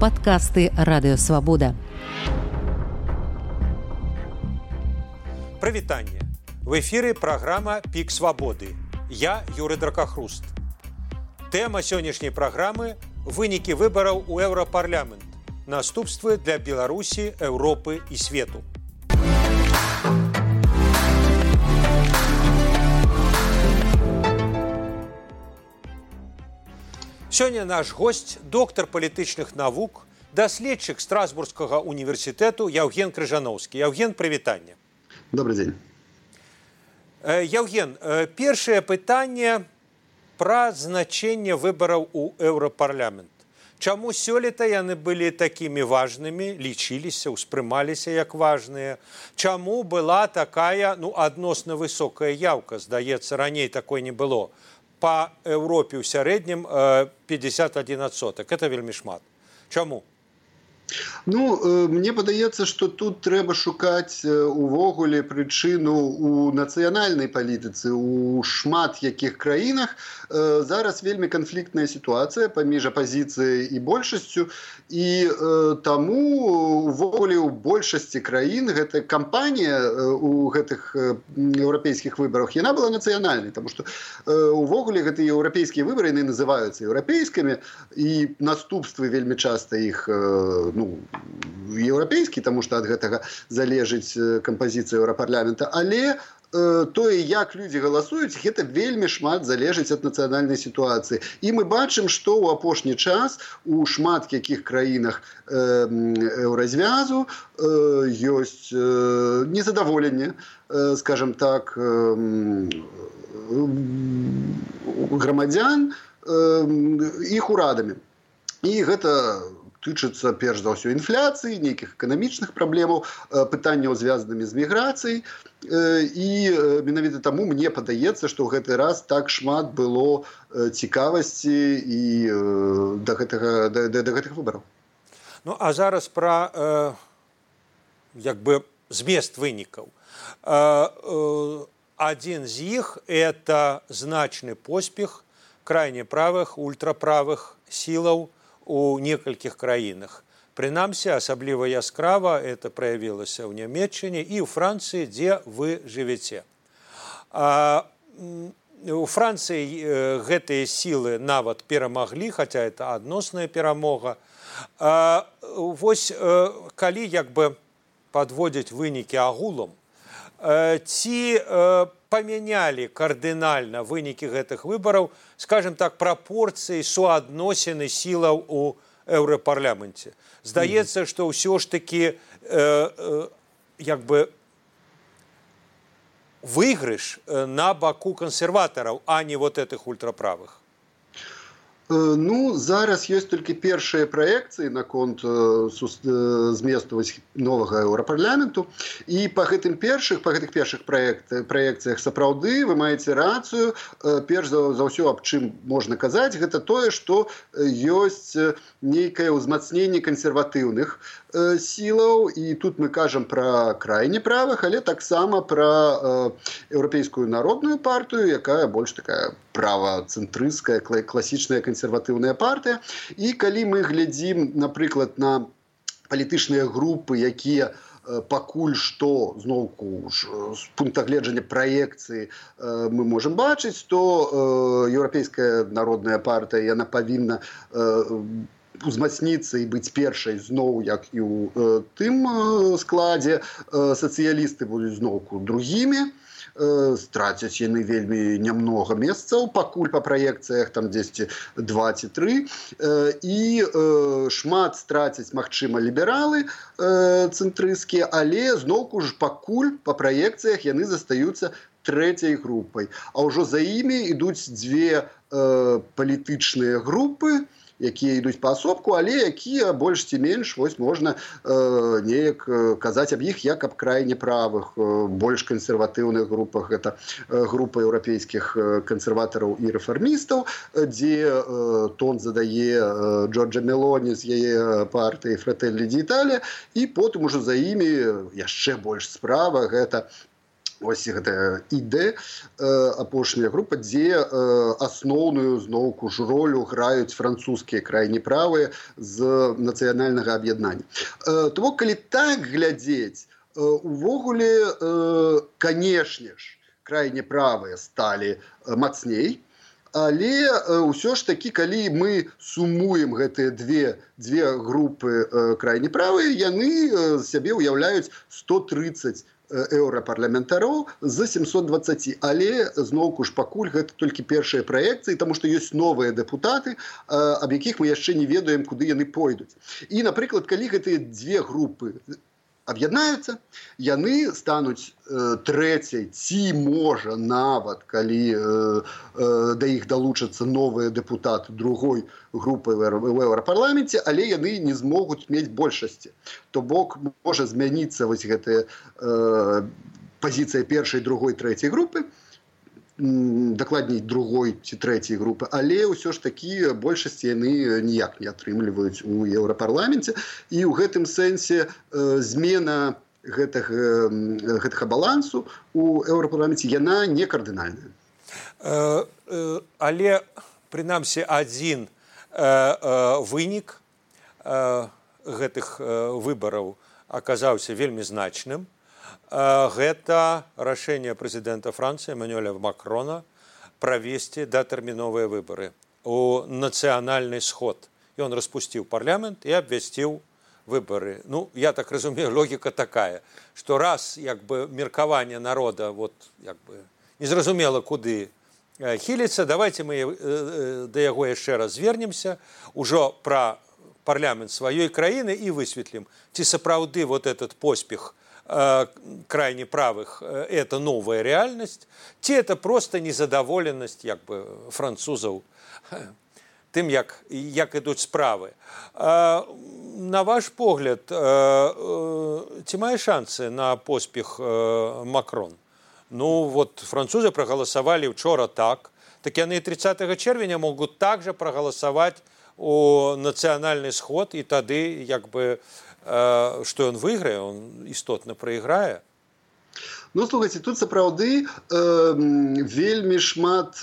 Падкасты Радыёвабода. Прывітанне. В эфіры праграма «Пік свабоды». Я Юрый Дракахруст. Тэма сённяшняй праграмы – вынікі выбараў у Еўрапарламент. Наступствы для Беларусі, Еўропы і свету. Сёння наш госць, доктар палітычных навук, даследчык Страсбургскага універсітэту Яўген Крыжаноўскі. Яўген, прывітанне. Добрый день. Яўген, першае пытанне пра значэнне выбараў у Еўрапарламент. Чаму сёлета яны былі такімі важнымі, лічыліся, успрымаліся як важныя? Чаму была такая, адносна высокая яўка? Здаецца, раней такой не было. Па Еўропе ў сярэднім 51%. Это вельмі шмат. Чаму? Мне падаецца, што тут трэба шукаць увогуле прычыну у нацыянальнай палітыцы. У шмат якіх краінах зараз вельмі канфліктная сітуацыя паміж апазіцыяй і большасцю, і таму увогуле ў большасці краін гэта кампанія у гэтых еўрапейскіх выбарах, яна была нацыянальнай, таму што увогуле гэтыя еўрапейскія выбары яны называюцца еўрапейскімі, і наступствы вельмі часта іх еўрапейскі, таму што ад гэтага залежыць кампазіцыя Еўрапарламента, але тое, як людзі галасуюць, гэта вельмі шмат залежыць ад нацыянальнай сітуацыі. І мы бачым, што ў апошні час у шмат якіх краінах еўразвязу ёсць незадаволенне, скажем так, грамадзян іх урадамі. І гэта тычыцца перш за ўсё інфляцыі, нейкіх эканамічных праблемаў, пытанняў, звязанымі з міграцыяй. І менавіта таму мне падаецца, што ў гэты раз так шмат было цікавасці і да гэтых выбараў. А зараз пра змест вынікаў. Адзін з іх – это значны поспех крайне правых, ультраправых сілаў у некалькіх краінах. Прынамсі, асабліва яскрава это праявілася ў Нямецчыне і ў Францыі, дзе вы жывяце. У Францыі гэтыя сілы нават перамаглі, хаця это адносная перамога. Вось калі падводзіць вынікі агулам, ці памянялі кардынальна вынікі гэтых выбараў, скажем так, прапорцыі суадносіны сілаў у Еўрапарламенце. Здаецца, што ўсё ж такі выйгрыш на баку кансерватараў, а не вот этих ультраправых. Зараз ёсць толькі першыя праекцыі наконт зместу новага Еўрапарламенту. І па гэтых першых праекцыях сапраўды вы маеце рацыю. Перш за ўсё, аб чым можна казаць, гэта тое, што ёсць нейкае ўзмацненне кансерватыўных сілаў, і тут мы кажам пра крайне правых, але таксама пра Еўрапейскую народную партыю, якая больш такая правацэнтрысцкая, класічная кансерватыўная партыя. І калі мы глядзім, напрыклад, на палітычныя групы, якія пакуль што, зноўку, з пункта гледжання праекцыі мы можам бачыць, то Еўрапейская народная партыя, яна павінна узмацніцца і быць першай зноў, як і ў тым складзе. Сацыялісты будуць зноўку другімі. Страцяць яны вельмі нямнога месцаў, пакуль па праекцыях там 10, 2 ці 3. І шмат страцяць, магчыма, лібералы цэнтрысцкія, але зноўку ж пакуль па праекцыях яны застаюцца трэцяй групай. А ўжо за імі ідуць дзве палітычныя групы, якія ідуць паасобку, але якія больш ці менш, вось можна неяк казаць аб іх як аб крайне правых, больш кансерватыўных групах. Гэта група еўрапейскіх кансерватараў і рэфармістаў, дзе тон задае Джорджа Мелоні з яе партыі Фрэтэллі d'Італія, і потым ужо за імі яшчэ больш справа, гэта Ось гэта іде апошняя група, дзе асноўную зноўку ж ролю граюць французскія крайне правыя з нацыянальнага аб'яднання. То бок, калі так глядзець, увогуле, канешне ж, крайне правыя сталі мацней, але ўсё ж такі, калі мы сумуем гэтыя дзве групы крайне правыя, яны сябе ўяўляюць 130 еўрапарламентароў з 720. Але, зноўку ж, пакуль гэта толькі першыя праекцыі, таму што ёсць новыя дэпутаты, аб якіх мы яшчэ не ведаем, куды яны пойдуць. І, напрыклад, калі гэтыя дзве групы аб'яднаюцца, яны стануць трэцяй, ці можа нават, калі да іх далучацца новыя дэпутаты другой групы ў еўрапарламенце, але яны не змогуць мець большасці. То бок можа змяніцца вось гэтая пазіцыя першай, другой, трэцяй групы, дакладней другой ці трэцяй групы, але ўсё ж такі большасці яны ніяк не атрымліваюць у еўрапарламенце. І ў гэтым сэнсе змена гэтага балансу у еўрапарламенце, яна не кардынальная. Але, прынамсі, адзін вынік гэтых выбараў аказаўся вельмі значным. Гэта рашэнне прэзідэнта Францыі Эммануэля Макрона правесці датэрміновыя выбары у нацыянальны сход. Ён распусціў парламент і абвясціў выбары. Ну, я так разумею, логіка такая, што раз меркаванне народа незразумела куды хіліцца, давайте мы да яго яшчэ раз звернемся, ужо пра парламент сваёй краіны і высветлім, ці сапраўды вот этот поспех крайне правых – это новая реальность, ці это просто незадаволенасць французаў тым, як ідуць справы. На ваш погляд, ці мае шансы на поспех Макрон? Ну, вот французы прагаласавалі учора так яны 30 чэрвеня могуць также прагаласаваць у нацыянальны сход, і тады што ён выйграе, он істотна прайграе. Ну, слухайце, тут сапраўды вельмі шмат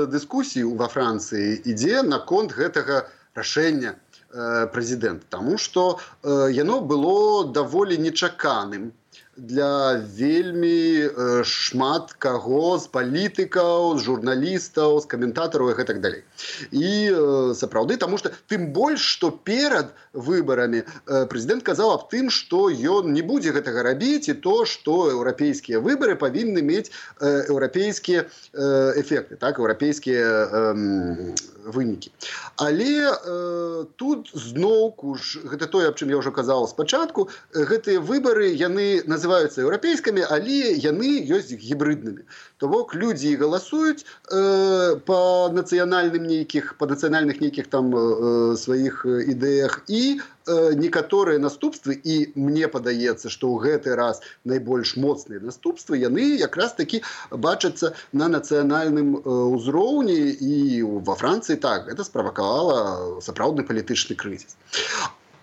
дыскусій ва Францыі ідзе наконт гэтага рашэння прэзідэнта, таму што яно было даволі нечаканым для вельмі шмат каго з палітыкаў, з журналістаў, з каментатараў і гэтак далей. І сапраўды, таму што тым больш, што перад выбарамі прэзідэнт казаў аб тым, што ён не будзе гэтага рабіць, і то, што еўрапейскія выбары павінны мець еўрапейскія эфекты, еўрапейскія вынікі. Але тут зноўку ж, гэта тое, аб чым я ўжо казаў спачатку, гэтыя выбары, яны называюцца еўрапейскімі, але яны ёсць гібрыднымі. То бок людзі галасуюць па нацыянальных нейкіх там сваіх ідэях, і некаторыя наступствы, і мне падаецца, што ў гэты раз найбольш моцныя наступствы, яны якраз такі бачацца на нацыянальным узроўні, і ва Францыі так, гэта справакавала сапраўдны палітычны крызіс.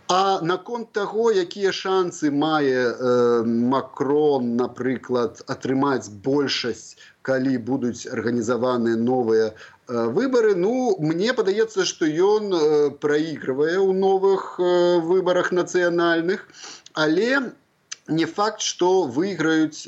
А наконт таго, якія шансы мае Макрон, напрыклад, атрымаць большасць, калі будуць арганізаваны новыя выбары, ну, мне падаецца, што ён праігрывае ў новых выбарах нацыянальных, але не факт, што выйграюць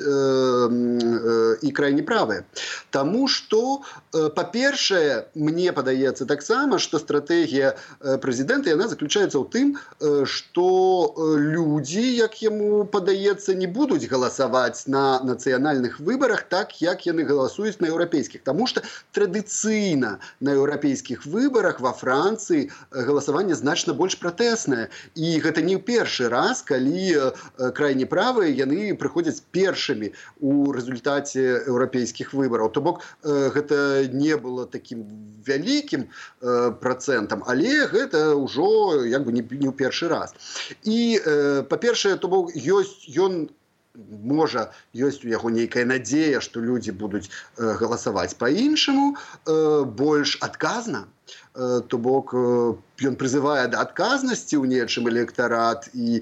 і крайне правыя. Таму што, па-першае, мне падаецца таксама, што стратэгія прэзідэнта, яна заключаецца ў тым, што людзі, як яму падаецца, не будуць галасаваць на нацыянальных выбарах так, як яны галасуюць на еўрапейскіх. Таму што традыцыйна на еўрапейскіх выбарах ва Францыі галасаванне значна больш пратэснае. І гэта не ў першы раз, калі крайне правыя, яны прыходзяць першымі у рэзультаце еўрапейскіх выбараў. То бок, гэта не было такім вялікім працэнтам, але гэта ўжо не ў першы раз. І, па-першае, то бок, ёсць у яго нейкая надзея, што людзі будуць галасаваць па-іншаму, больш адказна, То бок ён прызывае да адказнасці ў нечым электарат і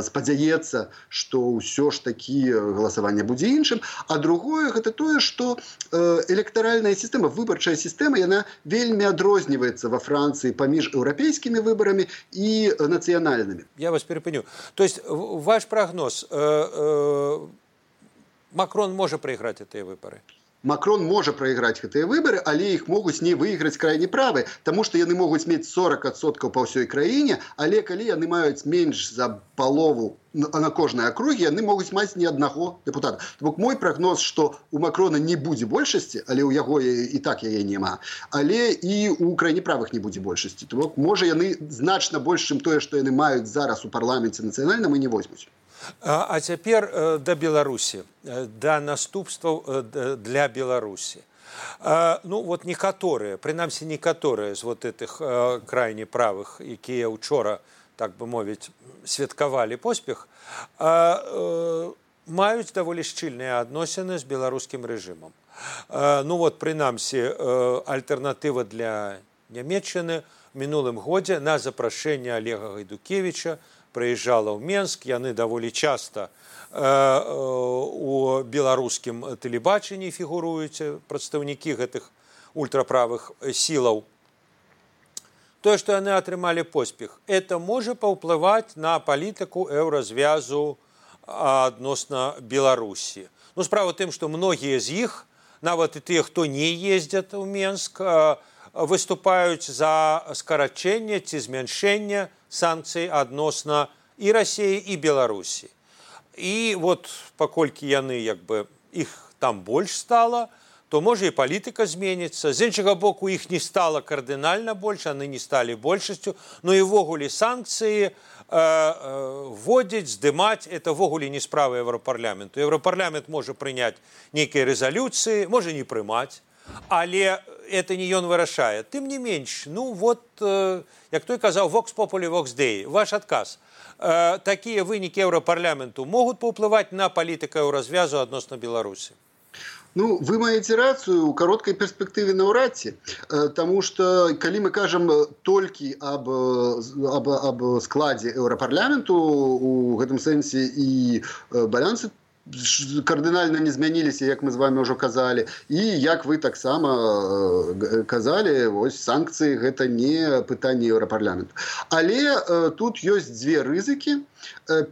спадзяецца, што ўсё ж такі галасаванне будзе іншым. А другое гэта тое, што электаральная сістэма, выбарчая сістэма, яна вельмі адрозніваецца ва Францыі паміж еўрапейскімі выбарамі і нацыянальнымі. Я вас перепыню. То есть ваш прогноз, Макрон можа прайграць гэтыя выбары? Макрон можа прайграць гэтыя выбары, але іх могуць не выйграць крайне правы, таму што яны могуць мець 40% па ўсёй краіне, але калі яны маюць менш за палову на кожнай акругі, яны могуць маць ні аднаго дэпутата. То бок мой прагноз, што у Макрона не будзе большасці, але ў яго і так яе няма, але і ў крайне правых не будзе большасці. То бок можа яны значна больш, чым тое, што яны маюць зараз у парламенце нацыянальным, і не возьмуць. А цяпер да Беларусі, да наступстваў для Беларусі. Ну, вот некаторыя, прынамсі некаторыя з вот этих крайне правых, якія учора, так бы мовіць, святкавалі поспех, маюць даволі шчыльныя адносіны з беларускім рэжымам. Ну вот, прынамсі, альтэрнатыва для Нямецчыны в мінулым годзе на запрашэнне Олега Гайдукевіча прыязджала ў Менск, яны даволі часта у беларускім тэлебачанні фігуруюць прадстаўнікі гэтых ультраправых сілаў. Тое, што яны атрымалі поспех, это можа паўплываць на палітыку еўразвязу адносна Беларусі. Ну, справа ў тым, што многія з іх, нават і тыя, хто не ездзяць у Менск, выступаюць за скарачэнне ці змяншэнне санкцый адносна і Расіі, і Беларусі. І вот паколькі яны, як бы, іх там больш стала, то можа і палітыка зменіцца. З іншага боку, іх не стала кардынальна больш, яны не сталі большасцю, но і ввогуле санкцыі вводзіць, здымаць, это ввогуле не справа Еўрапарламенту. Еўрапарламент можа прыняць нейкія рэзалюцыі, можа не прымаць, але это не ён вырашае. Тым не менш, ну вот, як той казаў, vox populi, vox dei. Ваш адказ. Такія вынікі Еўрапарламенту могуць паўплываць на палітыку еўразвязу адносна Беларусі? Ну, вы маеце рацыю, у кароткай перспектыве наўрад ці. Таму што, калі мы кажам толькі аб складзе Еўрапарламенту, у гэтым сэнсе і балансы кардынальна не змяніліся, як мы з вами ўжо казалі, і як вы таксама казалі, вось санкцыі гэта не пытанне Еўрапарламенту. Але тут ёсць дзве рызыкі.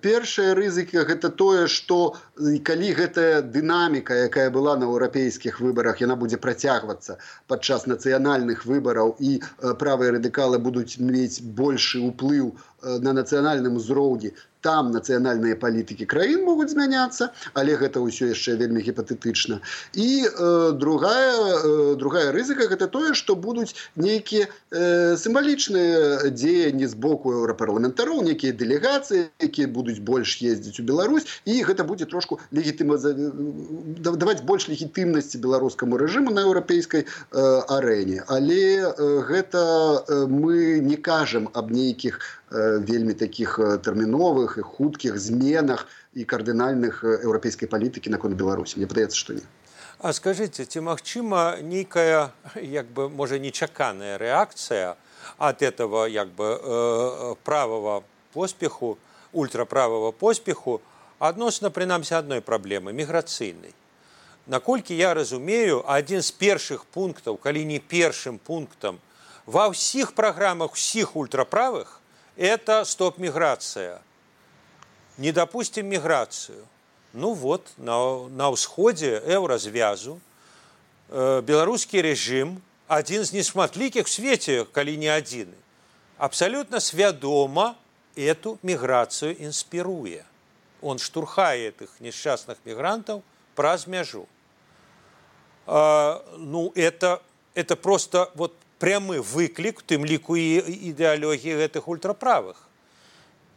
Першая рызыка гэта тое, што калі гэтая дынаміка, якая была на еўрапейскіх выбарах, яна будзе працягвацца падчас нацыянальных выбараў, і правыя радыкалы будуць мець большы ўплыў на нацыянальным узроўні, там нацыянальныя палітыкі краін могуць змяняцца, але гэта ўсё яшчэ вельмі гіпатэтычна. І другая рызыка гэта тое, што будуць нейкія сімвалічныя дзеянні з боку еўрапарламентароў, нейкія дэлегацыі, якія будуць больш ездзіць у Беларусь, і гэта будзе трошку даваць больш легітымнасці беларускаму рэжыму на еўрапейскай арэне. Але гэта мы не кажам аб нейкіх вельмі такіх тэрміновых і хуткіх зменах і кардынальных еўрапейскай палітыкі наконт Беларусі. Мне падаецца, што не. А скажыце, ці магчыма нейкая, як бы, можа, нечаканая рэакцыя ад этого, як бы, правого поспеху, ультраправого поспеху адносна, прынамсі, адной праблемы, міграцыйнай. Наколькі я разумею, адзін з першых пунктаў, калі не першым пунктам, ва ўсіх праграмах усіх ультраправых это стоп-миграция. Не допустим миграцию. Ну вот, на ўсходзе еўразвязу беларускі рэжым, адзін з нешматлікіх в свеце, калі не адзіны, абсолютно свядома эту миграцию инспируе. Он штурхае этих несчастных мигрантов праз мяжу. Ну, это просто вот прямы выклік, тым ліку і ідэалогіі гэтых ультраправых.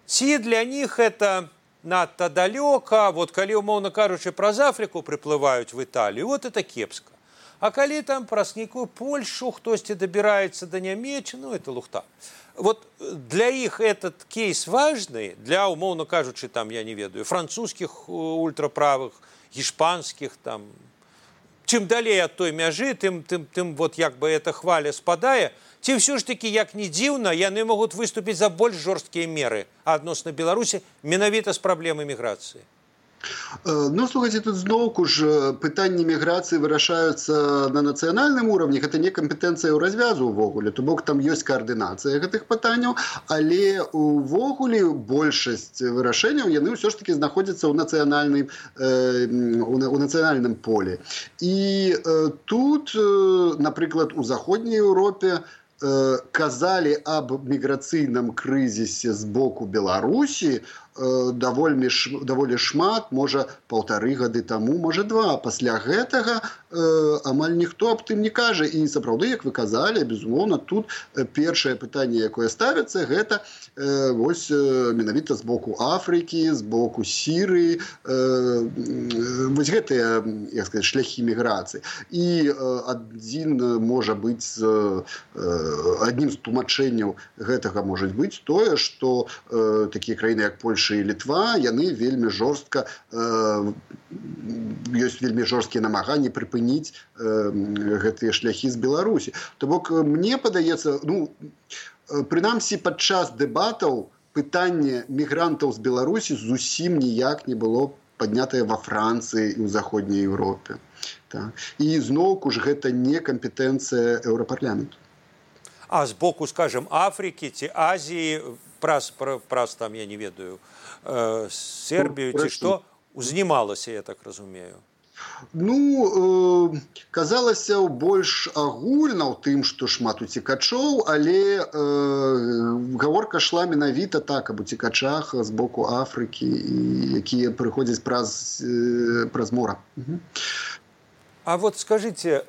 Ці для них это надта далёка, вот калі, умоўна кажучы, праз Афрыку прыплываюць в Італію, вот это кепска. А калі там праз нейкую Польшу хтосьці дабіраецца да Нямецчыны, ну, это лухта. Вот для іх этот кейс важны, для, умоўна кажучы, там, я не ведаю, французскіх ультраправых, гішпанскіх, там, чым далей ад той мяжы, тым вот як бы эта хваля спадае, Ці ўсё ж такі, як ні дзіўна, яны могуць выступіць за больш жорсткія меры адносна Беларусі менавіта з праблемай міграцыі? Ну, слухайте, тут зноўку ж пытанні міграцыі вырашаюцца на нацыянальным уровні. Гэта не кампетэнцыя ў развязу ўвогуле. То бок там ёсць каардынацыя гэтых пытанняў, але увогуле большасць вырашэнняў яны ўсё ж такі знаходзяцца ў нацыянальным полі. І тут, напрыклад, у заходняй Еўропе казалі аб міграцыйным крызісе з боку Беларусі даволі шмат, можа, 1,5 гады таму, можа, 2. Пасля гэтага амаль ніхто аб тым не кажа. І сапраўды, як вы казалі, безумоўна, тут першае пытанне, якое ставіцца, гэта вось менавіта з боку Афрыкі, з боку Сірыі, вось гэтыя, як сказаць, шляхі міграцыі. І аднім з тлумачэнняў гэтага можа быць тое, што такія краіны, як Польша і Літва, яны вельмі жорстка, ёсць вельмі жорсткія намаганні прыпыніць гэтыя шляхі з Беларусі. То бок, мне падаецца, прынамсі падчас дэбатаў пытанне мігрантаў з Беларусі зусім ніяк не было паднятае ва Францыі і ў заходняй Еўропе. І зноўку ж гэта не кампетэнцыя Еўрапарламенту. А з боку, скажем, Афрыкі ці Азіі, праз там, я не ведаю, Сербію ці што, узнімалася, я так разумею? Казалася больш агульна ў тым, што шмат уцекачоў, але гаворка шла менавіта так, аб уцекачах з боку Афрыкі, якія прыходзяць праз мора. А вот скажите,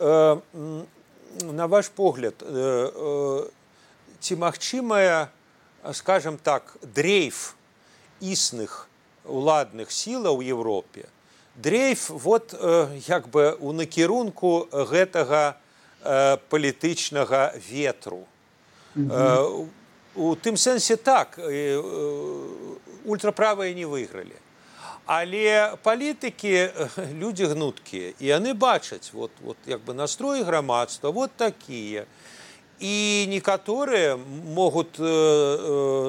на ваш погляд, ці магчымая, скажем так, дрейф існых уладных сілаў у Европе, дрейф вот як бы у накірунку гэтага палітычнага ветру. У тым сэнсе так, ультраправыя не выйгралі. Але палітыкі, людзі гнуткія, і яны бачаць, вот як бы настроі грамадства, вот такія. І некаторыя могуць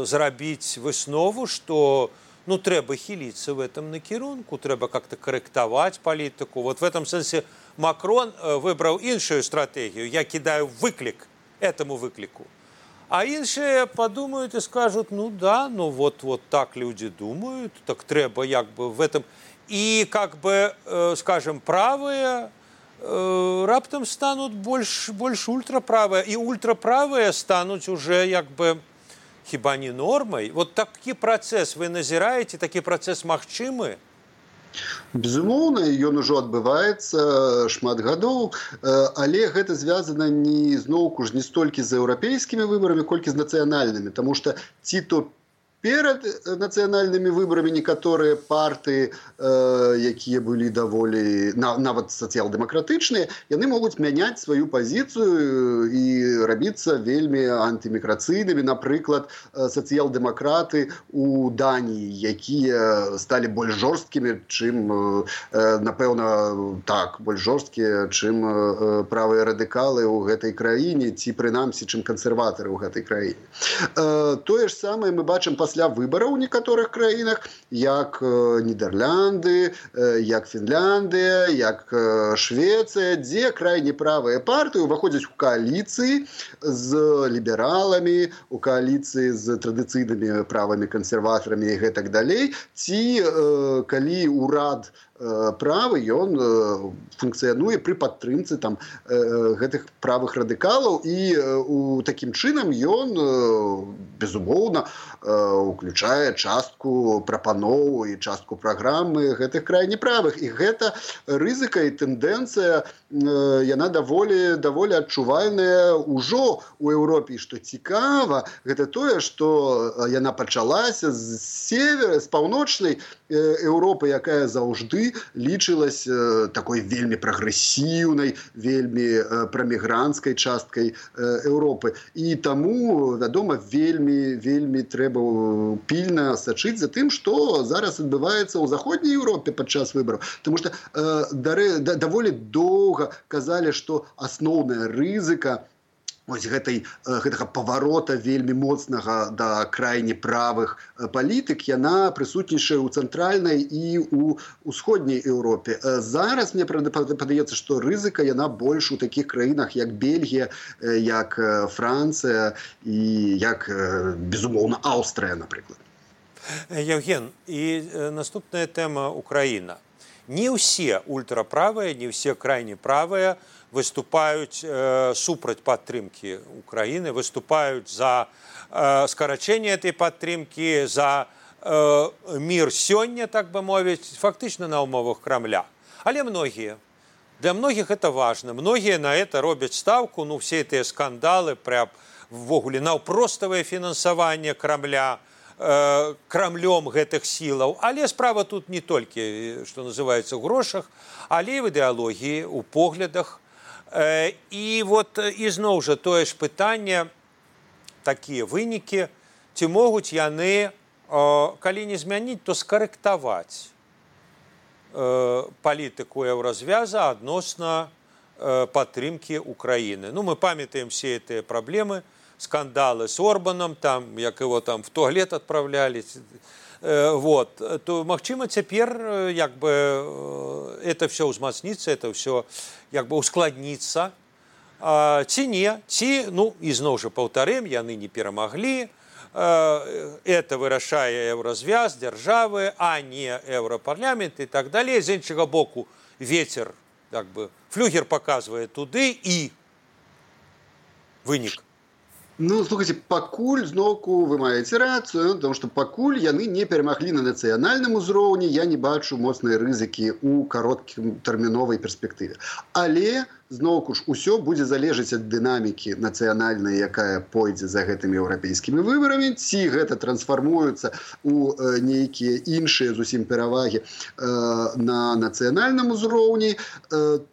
зрабіць выснову, што трэба хіліцца в этом накірунку, трэба как-то карэктаваць палітыку. Вот в этом сэнсе Макрон выбраў іншую стратэгію. Я кідаю выклік этому выкліку. А іншыя подумают и скажут, вот так люди думают, так трэба як бы в этом. И как бы, скажем, правые раптам станут больш ультраправыя, і ультраправыя стануць уже як бы хіба не нормай. Вот такі працэс вы назіраеце, такі працэс магчымы? Безумоўна, ён ужо адбываецца шмат гадоў, але гэта звязана зноўку ж не столькі з еўрапейскімі выбарамі, колькі з нацыянальнымі, таму што ці то перад нацыянальнымі выбарамі некаторыя партыі, якія былі даволі нават сацыял-дэмакратычныя, яны могуць мяняць сваю пазіцыю і рабіцца вельмі антыміграцыйнымі. Напрыклад, сацыял-дэмакраты у Даніі, якія сталі больш жорсткімі, чым, напэўна, больш жорсткія, чым правыя радыкалы ў гэтай краіне, ці прынамсі, чым кансерватары ў гэтай краіне. Тое ж самае мы бачым пасля выбараў у некаторых краінах, як Нідерланды, як Фінляндыя, як Швецыя, дзе крайне правыя партыі ўваходзяць у кааліцыі з лібераламі, у кааліцыі з традыцыйнымі правымі кансерватарамі і гэтак далей, ці калі ўрад правы, ён функцыянуе пры падтрымцы гэтых правых радыкалаў, і такім чынам ён, безумоўна, уключае частку прапаноў і частку праграмы гэтых крайне правых. І гэта рызыка і тэндэнцыя, яна даволі адчувальная ўжо ў Еўропе. І што цікава, гэта тое, што яна пачалася з паўночнай Еўропы, якая заўжды лічылась такой вельмі прагрэсіўнай, вельмі прамігранцкай часткай Еўропы. І таму, вядома, вельмі трэба пільна сачыць за тым, што зараз адбываецца ў заходняй Еўропе падчас выбараў. Таму што даволі доўга казалі, што асноўная рызыка вось гэтага паварота вельмі моцнага да крайне правых палітык, яна прысутнічае ў цэнтральнай і ў усходняй Еўропе. Зараз мне падаецца, што рызыка яна больш у такіх краінах, як Бельгія, як Францыя і як, безумоўна, Аўстрыя, напрыклад. Евген, і наступная тэма Украіна. Не ўсе ультраправыя, не ўсе крайне правыя выступаюць супраць падтрымкі Украіны, выступаюць за скарачэнне этой падтрымкі, за мір сёння, так бы мовіць, фактычна на ўмовах Крамля. Але многія. Для многіх это важна. Многія на это робяць ставку, ну, все гэтыя скандалы, прям ввогуле наўпроставае фінансаванне Крамля, крамлём гэтых сілаў. Але справа тут не толькі, што называецца, у грошах, але і в ідэалогіі, у поглядах. І вот ізноў жа тое ж пытанне, такія вынікі, ці могуць яны, калі не змяніць, то скарэктаваць палітыку еўразвяза адносна падтрымкі Украіны. Ну, мы памятаем все гэтыя праблемы, скандалы с Орбаном, там, як его там в туалет отправляли. Вот. То, магчыма, цяпер як бы это все узмацніцца, это все як бы ускладніцца. Ці не, ці, ну, ізноў жа паўтарым, яны не перамаглі. Это вырашае еўразвяз, дзяржавы, а не еўрапарламент і так далей. З іншага боку, вецер, як бы, флюгер паказвае туды і вынік. Ну, слухайте, пакуль зноўку вы маеце рацыю, потому что пакуль яны не перамаглі на нацыянальным узроўні, я не бачу моцныя рызыкі ў кароткатэрміновай перспектыве. Але зноўку ж усё будзе залежаць ад дынамікі нацыянальнай, якая пойдзе за гэтымі еўрапейскімі выбарамі, ці гэта трансфармуецца ў нейкія іншыя зусім перавагі на нацыянальным узроўні.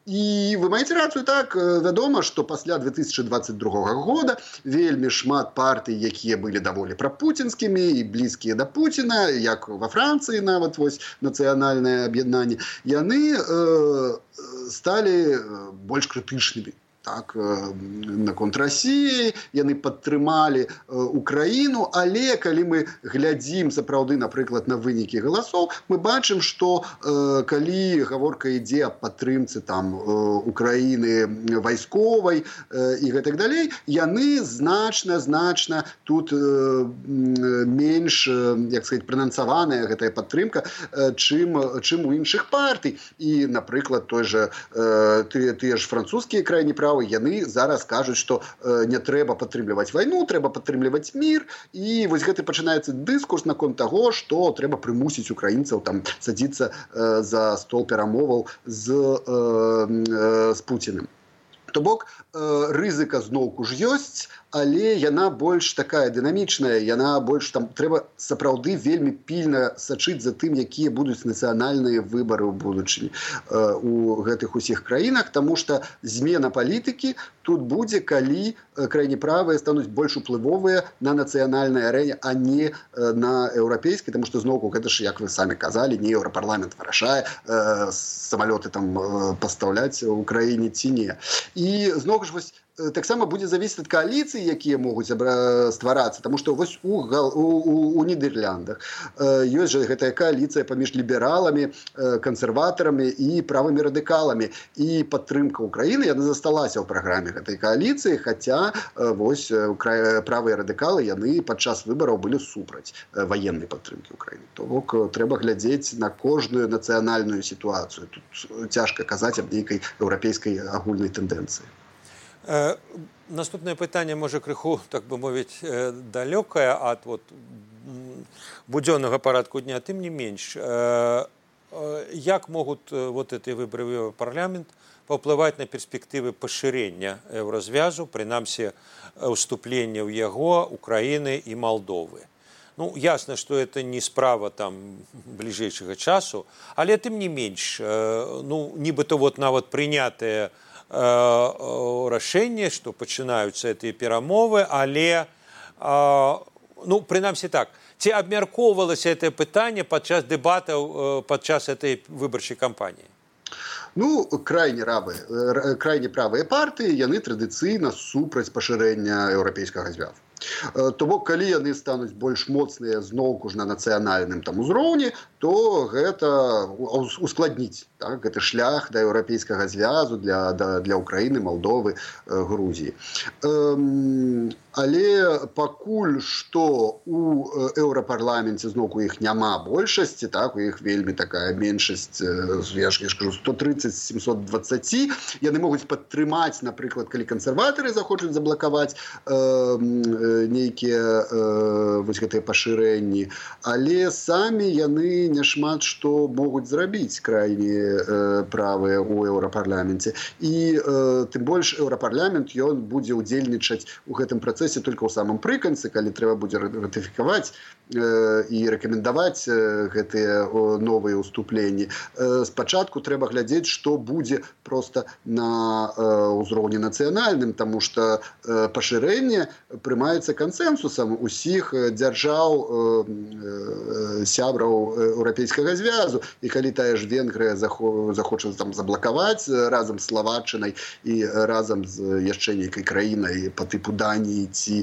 І вы маеце рацыю, так, вядома, што пасля 2022 года вельмі шмат партый, якія былі даволі прапуцінскімі і блізкія да Пуціна, як ва Францыі нават вось нацыянальнае аб'яднанне, яны сталі больш крытычнымі. Так, наконт Расіі, яны падтрымалі Украіну, але калі мы глядзім сапраўды, напрыклад, на вынікі галасоў, мы бачым, што калі гаворка ідзе аб падтрымцы там Украіны вайсковай і гэтак далей, яны значна тут менш, як сказаць, пранансаваная гэтая падтрымка, чым у іншых партый. І, напрыклад, тыя ж французскія крайне правыя, яны зараз кажуць, што не трэба падтрымліваць вайну, трэба падтрымліваць мір, і вось гэты пачынаецца дыскурс наконт таго, што трэба прымусіць украінцаў там садзіцца за стол перамоваў з Пуціным. То бок, рызыка зноўку ж ёсць, але яна больш такая дынамічная, яна больш там трэба сапраўды вельмі пільна сачыць за тым, якія будуць нацыянальныя выбары ў будучыні у гэтых усіх краінах, таму што змена палітыкі тут будзе, калі крайне правыя стануць больш уплывовыя на нацыянальнай арэне, а не на еўрапейскай, таму што зноўку гэта ж, як вы самі казалі, не еўрапарламент вырашае самалёты там пастаўляць у краіне ці не. І зноў ж вось таксама будзе завісіць ад кааліцый, якія могуць стварацца, таму што вось у Нідерландах ёсць жа гэтая кааліцыя паміж лібераламі, кансерватарамі і правымі радыкаламі. І падтрымка Украіны, яна засталася ў праграме гэтай кааліцыі, хаця вось правыя радыкалы, яны падчас выбараў былі супраць ваеннай падтрымкі Украіны. То бок трэба глядзець на кожную нацыянальную сітуацыю. Тут цяжка казаць аб нейкай еўрапейскай агульнай тэндэнцыі. Наступнае пытанне, можа, крыху, так бы мовіць, далёкае ад будзённага парадку дня, тым не менш. Як могуць вот эти выборы в Еўрапарламент паўплываць на перспектывы пашырення еўразвязу, прынамсі ўступлення ў яго Украіны і Малдовы? Ну, ясна, што это не справа там бліжэйшага часу, але тым не менш, ну, нібыта вот нават прынятыя рашэнне, што пачынаюцца гэтыя перамовы, але, ну, прынамсі так, ці абмяркоўвалася гэтае пытанне падчас дэбатаў, падчас гэтай выбарчай кампаніі? Ну, крайне правыя партыі, яны традыцыйна супраць пашырэння еўрапейскага звязу. То бок, калі яны стануць больш моцныя зноўку ж на нацыянальным там узроўні, то гэта ускладніць, так, гэты шлях да еўрапейскага звязу для Украіны, Малдовы, Грузіі. Але пакуль што у еўрапарламенце зноўку іх няма большасці, так, у іх вельмі такая меншасць, я ж кажу, 130 з 720, яны могуць падтрымаць, напрыклад, калі кансерватары захочуць заблакаваць нейкія вось гэтыя пашырэнні, але самі яны няшмат што могуць зрабіць крайне правыя ў еўрапарламенце. І тым больш еўрапарламент ён будзе ўдзельнічаць у гэтым працэсе толькі ў самым прыканцы, калі трэба будзе ратыфікаваць і рэкамендаваць гэтыя новыя ўступленні. Спачатку трэба глядзець, што будзе проста на ўзроўні нацыянальным, таму што пашырэнне прымаецца кансэнсусам усіх дзяржаў сябраў еўрапейскага звязу. І калі тая ж Венгрыя захоча там заблакаваць разам з Славаччынай і разам з яшчэ нейкай краінай па тыпу Даніі ці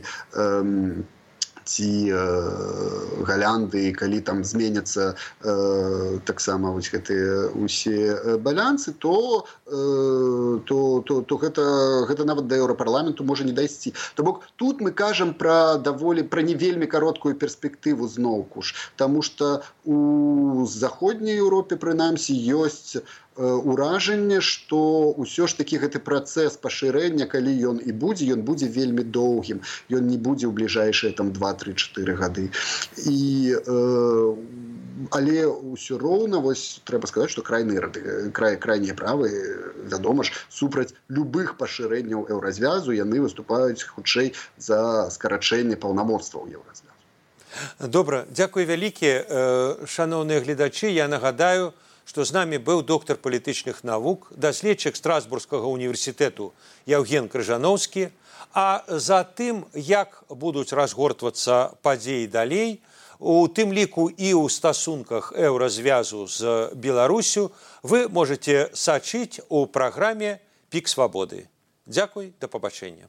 Галянды, калі там зменяцца таксама вось гэтыя усе балянсы, то гэта нават да еўрапарламенту можа не дайсці. То бок тут мы кажам пра не вельмі кароткую перспектыву зноўку ж, таму што у заходняй Еўропе прынамсі ёсць уражанне, што ўсё ж такі гэты працэс пашырэння, калі ён будзе вельмі доўгім, ён не будзе ў бліжэйшыя там 2-3-4 гады. Але ўсё роўна, вось трэба сказаць, што крайнія правыя, вядома ж, супраць любых пашырэнняў еўразвязу, яны выступаюць хутчэй за скарачэнне паўнамоцтваў еўразвязу. Добра, дзякуй вялікі, шаноўныя гледачы. Я нагадаю, што з намі быў доктар палітычных навук, даследчык Страсбургскага універсітэту Яўген Крыжаноўскі. А за тым, як будуць разгортвацца падзеі далей, у тым ліку і ў стасунках еўразвязу з Беларусю, вы можете сачыць у праграме «Пік свабоды». Дзякуй, да пабачэння.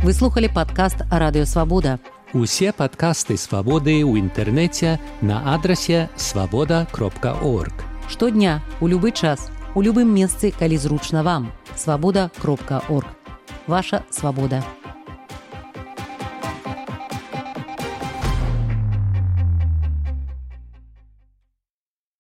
Вы слухали падкаст «Радыё Свабода». Усе падкасты «Свабоды» ў інтэрнэце на адрасе свабода.орг. Штодня, у любы час, у любым месцы, калі зручна вам. Свабода.орг. Ваша свабода.